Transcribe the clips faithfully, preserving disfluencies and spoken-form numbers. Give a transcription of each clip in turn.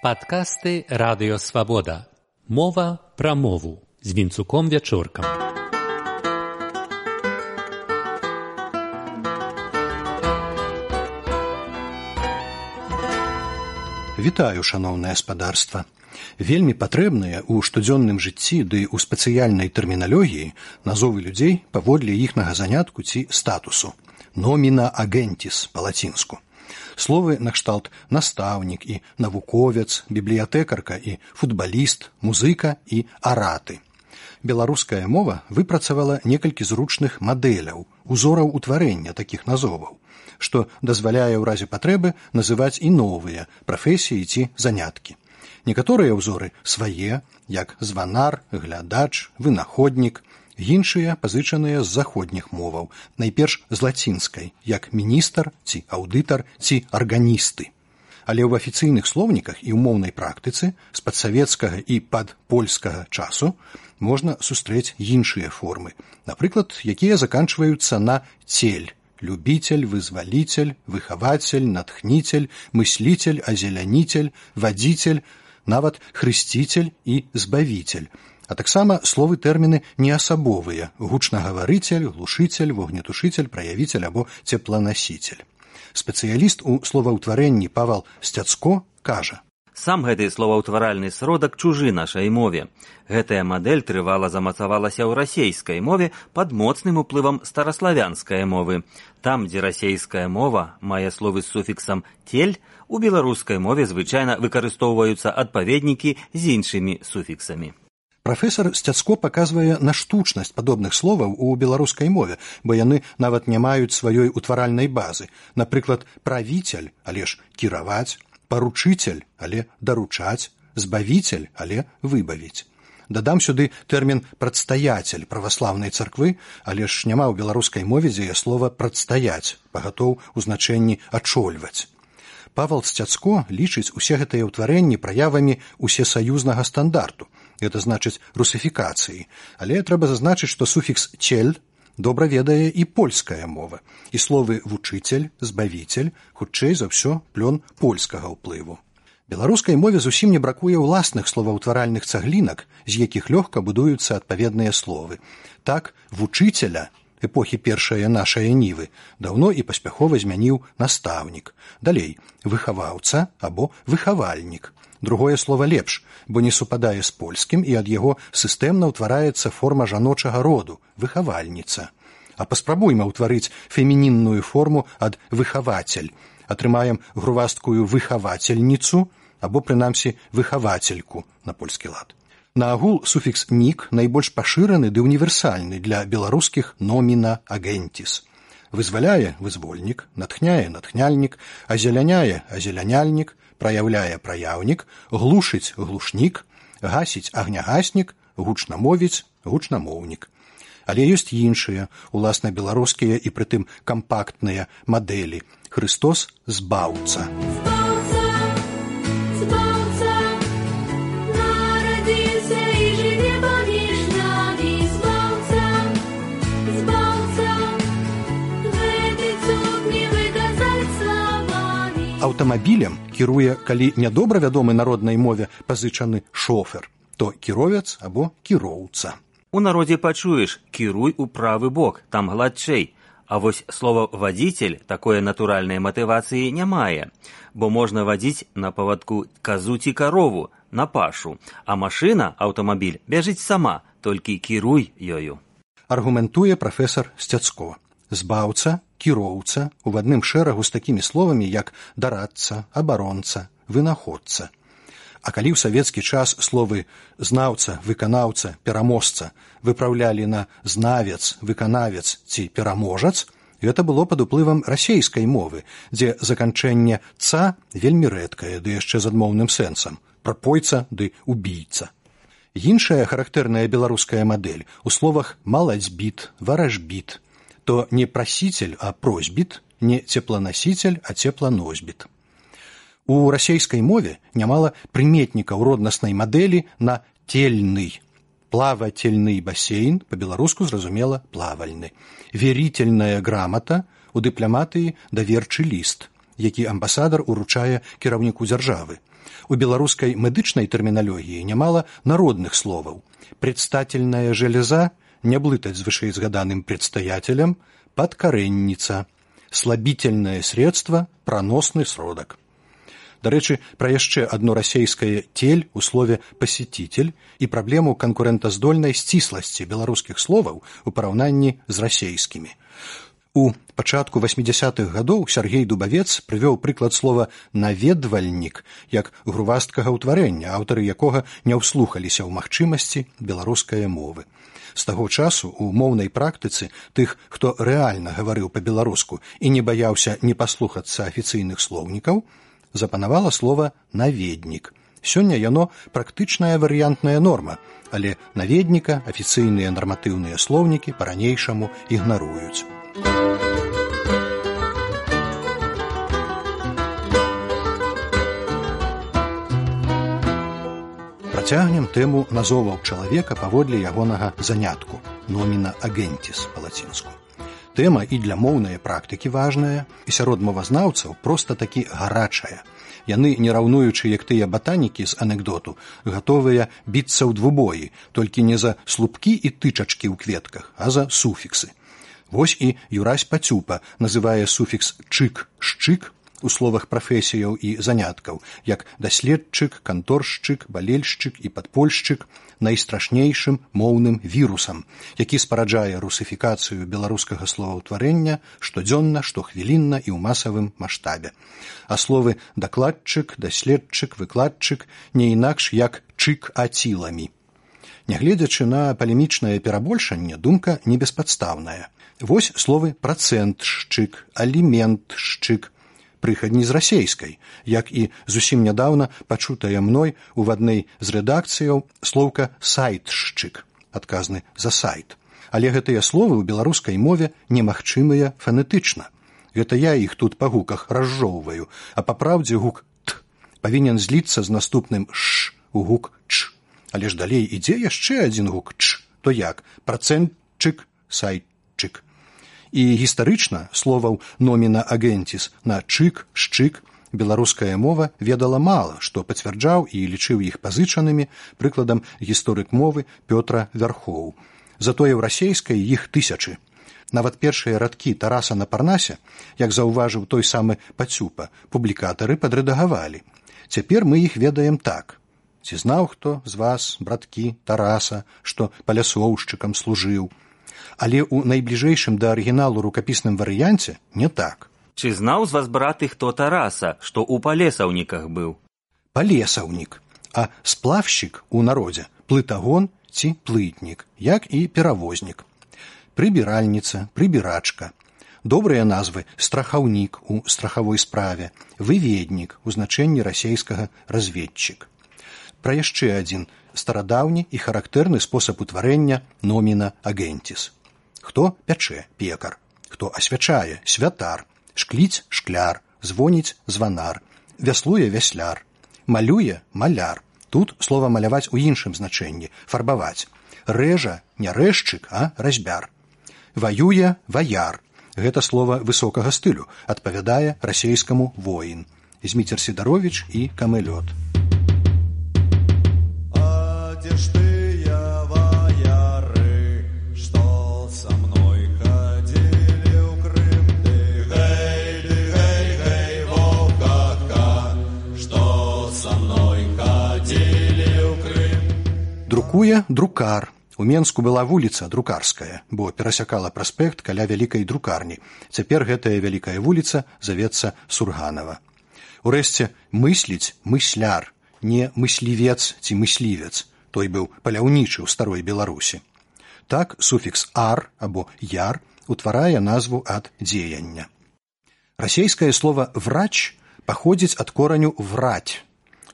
Падкасты Радыё Свабода. Мова пра мову з Вінцуком Вячоркам. Вітаю, шаноўнае спадарства. Вельмі патрэбныя ў штодзённым жыцці ды ў спецыяльнай тэрміналогіі назовы людзей паводле іхнага занятку ці статусу. Nomina agentis па-лацінску. Словы накшталт настаўнік і навуковец, бібліятэкарка і футбаліст, музыка і араты. Беларуская мова выпрацавала некалькі зручных мадэляў, узораў утварэння такіх назоваў, што дазваляе ў разе патрэбы называць і новыя прафесіі ці заняткі. Некаторыя ўзоры свае, як званар, глядач, вынаходнік, іншыя пазычаныя з заходніх моваў, найперш з лацінскай, як міністр ці аўдытар ці арганісты. Але ў афіцыйных слоўніках і ў моўнай практыцы з падсавецкага і падпольскага часу можна сустрэць іншыя формы, напрыклад, якія заканчваюцца на цель, любитель, вызвалитель, выхаватель, натхнитель, мыслитель, озеляніцель, вадзіцель, нават хрысціцель і збавіцель. А таксама словы тэрміны неасабовыя – гучнагаварыцель, глушыцель, вогнетушыцель, праявіцель або цепланасіцель. Спецыяліст у словаўтварэнні Павал Сцяцко кажа: Сам гэты словаўтваральны сродак чужы нашай мове. Гэтая мадэль трывала замацавалася ў расейскай мове пад моцным уплывам стараславянскай мовы. Там, дзе расейская мова мае словы з суфіксам «тель», у беларускай мове звычайна выкарыстоўваюцца адпаведнікі з іншымі суфіксамі. Прафесар Сцяцко паказвае на штучнасць падобных словаў у беларускай мове, бо яны нават не маюць сваёй утваральнай базы. Напрыклад, правіцель, але ж кіраваць, паручыцель, але даручаць, збавіцель, але выбавіць. Дадам сюды тэрмін прадстаяцель праваслаўнай царквы, але ж няма ў беларускай мове дзея слова прадстаяць, пагатоў у значэнні ачольваць. Павал Сцяцко лічыць усе гэтыя ўтварэнні праявамі усесаюзнага стандарту, гэта значыць русифікацыі, але трэба зазначыць, што суфікс «цель» добра ведае і польская мова, і словы «вучыцель», «збавіцель» хутчэй за ўсё плён польскага ўплыву. Беларускай мове зусім не бракуе ўласных словаўтваральных цаглінак, з якіх лёгка будуюцца адпаведныя словы. Так, «вучыцеля» эпохі першае нашае нівы даўно і паспяхова змяніў настаўнік. Далей, выхаваўца або выхавальнік. Другое слова лепш, бо не супадае з польскім і ад яго сістэмна ўтвараецца форма жаночага роду – выхавальніца. А паспрабуйма ўтварыць фемінінную форму ад выхавацель. Атрымаем грувасткую выхавацельніцу або, прынамсі, выхавацельку на польскі лад. Наагул суфікс «нік» найбольш пашыраны ды універсальны для беларускіх «nomina agentis». Вызваляе – вызвольнік, натхняе – натхняльнік, азеляняе – азеляняльнік, праяўляе – праяўнік, глушыць – глушнік, гасіць – агнягаснік, гучнамовіць – гучнамоўнік. Але ёсць іншыя, уласна беларускія і прытым кампактныя мадэлі. Хрыстос – збаўца. Аўтамабілем кіруе, калі нядобра вядомы народнай мове пазычаны шофер, то кіровец або кіроўца. У народзе пачуеш «кіруй у правы бок», там гладчэй. А вось слова «вадзіцель» такое натуральнай матывацыі не мае, бо можна вадзіць на павадку казу ці карову, на пашу, а машына, аўтамабіль, бяжыць сама, толькі кіруй ёю. Аргументуе прафесар Сцяцко. Збаўца, кіроўца у адным шэрагу з такімі словамі, як дарадца, абаронца, вынаходца. А калі ў савецкі час словы знаўца, выканаўца, пераможца выпраўлялі на знавец, выканавец ці пераможац, гэта было пад уплывам расейскай мовы, дзе заканчэнне «ца» вельмі рэдкае, ды яшчэ з адмоўным сэнсам – прапойца ды убійца. Іншая характэрная беларуская мадэль у словах «малацьбіт», «варажбіт», то не прасіцель, а просьбіт, не цепланасіцель, а цепланосьбіт. У расейскай мове нямала прыметнікаў роднаснай мадэлі на «тельны». Плавательны басейн, па-беларуску зразумела плавальны. Верительная грамата, у дыпламатыі даверчы ліст, які амбасадар уручае кіраўніку дзяржавы. У беларускай медычнай тэрміналогіі нямала народных словаў. Предстательная железа, не блытаць з вышэйзгаданым предстоятелем, подкоренница, слабительное средство, проносны сродак. Дарэчы, пра яшчэ адно расейскае «тель» у слове «пасетитель» і праблему канкурэнтаздольнай сцісласці беларускіх словаў у параўнанні з расейскімі. У пачатку васьмідзясятых гадоў Сяргей Дубавец прывёў прыклад слова «наведвальнік» як грувасткага ўтварэння, аўтары якога не ўслухаліся ў магчымасці беларускае мовы. З таго часу у моўнай практыцы тых, хто рэальна гаварыў па-беларуску і не баяўся не паслухацца афіцыйных слоўнікаў, запанавала слова «наведнік». Сёння яно практычная варыянтная норма, але наведніка афіцыйныя нарматыўныя слоўнікі па-ранейшаму ігнаруюць. Працягнем тэму назоваў чалавека паводле ягонага занятку «номіна агентіс» па-лацінску. Тэма і для моўнай практыкі важная, і сярод мовазнаўцаў проста такі гарачая. Яны, не раўнуючы, як тыя батанікі з анекдоту, гатовыя біцца ў двубоі, толькі не за слупкі і тычачкі ў кветках, а за суфіксы. Вось і Юрась Пацюпа называе суфікс «чык», «шчык» у словах прафесіяў і заняткаў, як даследчык, канторшчык, балельшчык і падпольшчык найстрашнейшым моўным вірусам, які спараджае русыфікацыю беларускага словаўтварэння штодзённа, штохвілінна і ў масавым маштабе. А словы дакладчык, даследчык, выкладчык не інакш як чык-аціламі. Нягледзячы на палемічнае перабольшанне, думка не беспадстаўная. Вось словы працэнтшчык, аліментшчык, прыхадні з расейскай, як і зусім нядаўна пачутая мной у адной з рэдакцыяў слоўка «сайтшчык», адказны за сайт. Але гэтыя словы ў беларускай мове немагчымыя фанетычна. Гэта я іх тут па гуках разжоўваю, а па праўдзе гук «т» павінен зліцца з наступным «ш» у гук «ч». Але ж далей ідзе яшчэ адзін гук «ч», то як працэнтчык, сайтчык. І гістарычна словаў «номіна агентіс» на «чык», «шчык» беларуская мова ведала мала, што пацвярджаў і лічыў іх пазычанымі прыкладам гісторык мовы Пётра Вярхоў. Затое ў расейскай іх тысячы. Нават першыя радкі Тараса на Парнасе, як заўважыў той самы Пацюпа, публікатары падрэдагавалі. Цяпер мы іх ведаем так. Ці знаў хто з вас, браткі, Тараса, што палясоўшчыкам служыў? Але ў найбліжэйшым да арыгіналу рукапісным варыянце не так. Ці знаў з вас, браты, хто Тараса, што ў палесаўніках быў? Палесаўнік, а сплавшчык у народзе плытагон ці плытнік, як і перавознік. Прыбіральніца, прыбірачка. Добрыя назвы страхаўнік у страхавой справе, выведнік у значэнні расейскага разведчык. Пра яшчэ адзін старадаўні і характэрны спосаб утварэння номіна агентіс. Хто пячэ – пекар, хто асвячае – святар, шкліць – шкляр, звоніць – званар, вяслуе – вясляр, малюе – маляр. Тут слова маляваць у іншым значэнні – фарбаваць. Рэжа – не рэжчык, а разьбяр. Ваюе – ваяр. Гэта слова высокага стылю, адпавядае расейскаму воін. Зміцер Сідаровіч і Камэлёт. Друкуе друкар. У Менску была вуліца Друкарская, бо перасякала праспект каля вялікай друкарні. Цяпер гэтая вялікая вуліца завецца Сурганава. Урэшце, мысліць мысляр, не мыслівец ці мыслівец. Той быў паляўнічы ў старой Беларусі. Так суфікс «ар» або «яр» утварае назву ад дзеяння. Расейскае слова «врач» паходзіць ад кораню «враць».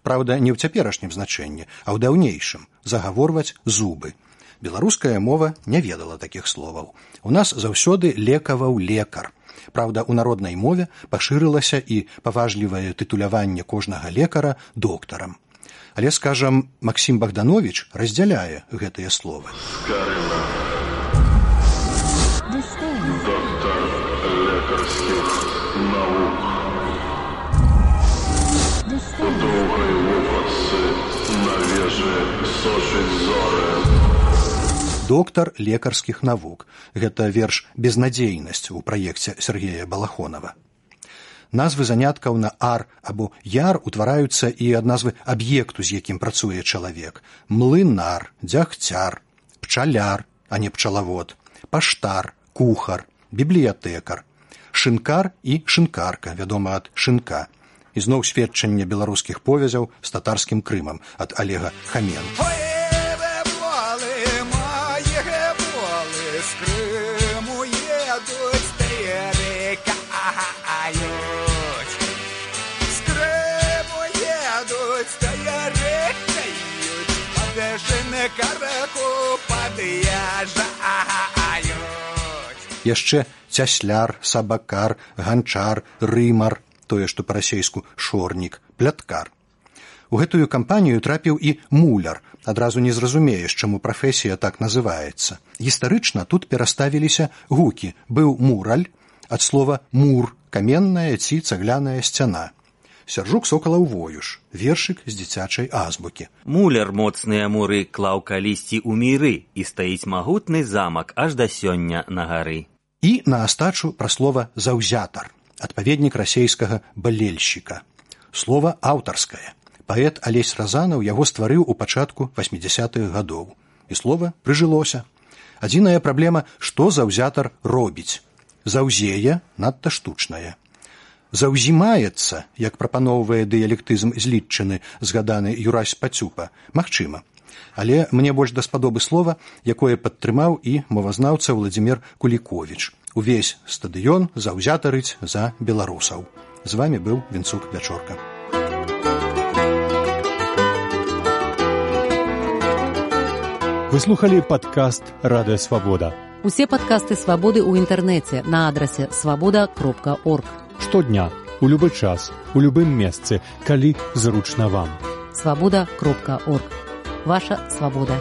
Праўда, не ў цяперашнім значэнні, а ў даўнейшым – загаворваць зубы. Беларуская мова не ведала такіх словаў. У нас заўсёды лекаваў лекар. Праўда, у народнай мове пашырылася і паважлівае тытуляванне кожнага лекара доктарам. Але, скажам, Максім Богданович раздзяляе гэтыя словы. Скарына. Доктар лекарскіх наук. Доўгай сушить зоры. Доктар лекарскіх навук. Гэта верш «Безнадзейнасць» у праекце Сергея Балахонова. Назвы заняткаў на ар або яр утвараюцца і ад назвы аб'екту, з якім працуе чалавек. Млынар, дзягцяр, пчаляр, а не пчалавод, паштар, кухар, бібліятэкар, шынкар і шынкарка, вядома ад шынка. І зноў сведчанне беларускіх повязяў з татарскім Крымам ад Олега Хаменко. Яшчэ цясляр, сабакар, ганчар, рымар, тое, што па-расейску шорнік, пляткар. У гэтую кампанію трапіў і муляр. Адразу не зразумееш, чаму прафесія так называецца. Гістарычна тут пераставіліся гукі. Быў мураль, ад слова мур, каменная ці цагляная сцяна. Сяржук Сокалаў Воюш, вершык з дзіцячай азбукі. Муляр моцныя муры клаў калісьці ў міры, і стаіць магутны замак аж да сёння на гары. І на астачу пра слова «заўзятар», адпаведнік расейскага «балельшчыка». Слова аўтарскае. Паэт Алесь Разанаў яго стварыў у пачатку васьмідзясятых гадоў. І слова прыжылося. Адзіная праблема, што заўзятар робіць. Заўзее надта штучнае. Заўзімаецца, як прапаноўвае дыялектызм злітчыны, згаданы Юрась Пацюпа, магчыма. Але мне больш даспадобы слова, якое падтрымаў і мовазнаўца Владзімір Куліковіч. Увесь стадыён заўзятарыць за беларусаў. З вамі быў Вінцук Вячорка. Вы слухали падкаст «Радыё Свабода». Усе падкасты «Свабоды» ў інтэрнэце на адрасе свабода кропка орг. Штодня, у любы час, у любым месцы, калі зручна вам. свабода кропка орг. Ваша свабода.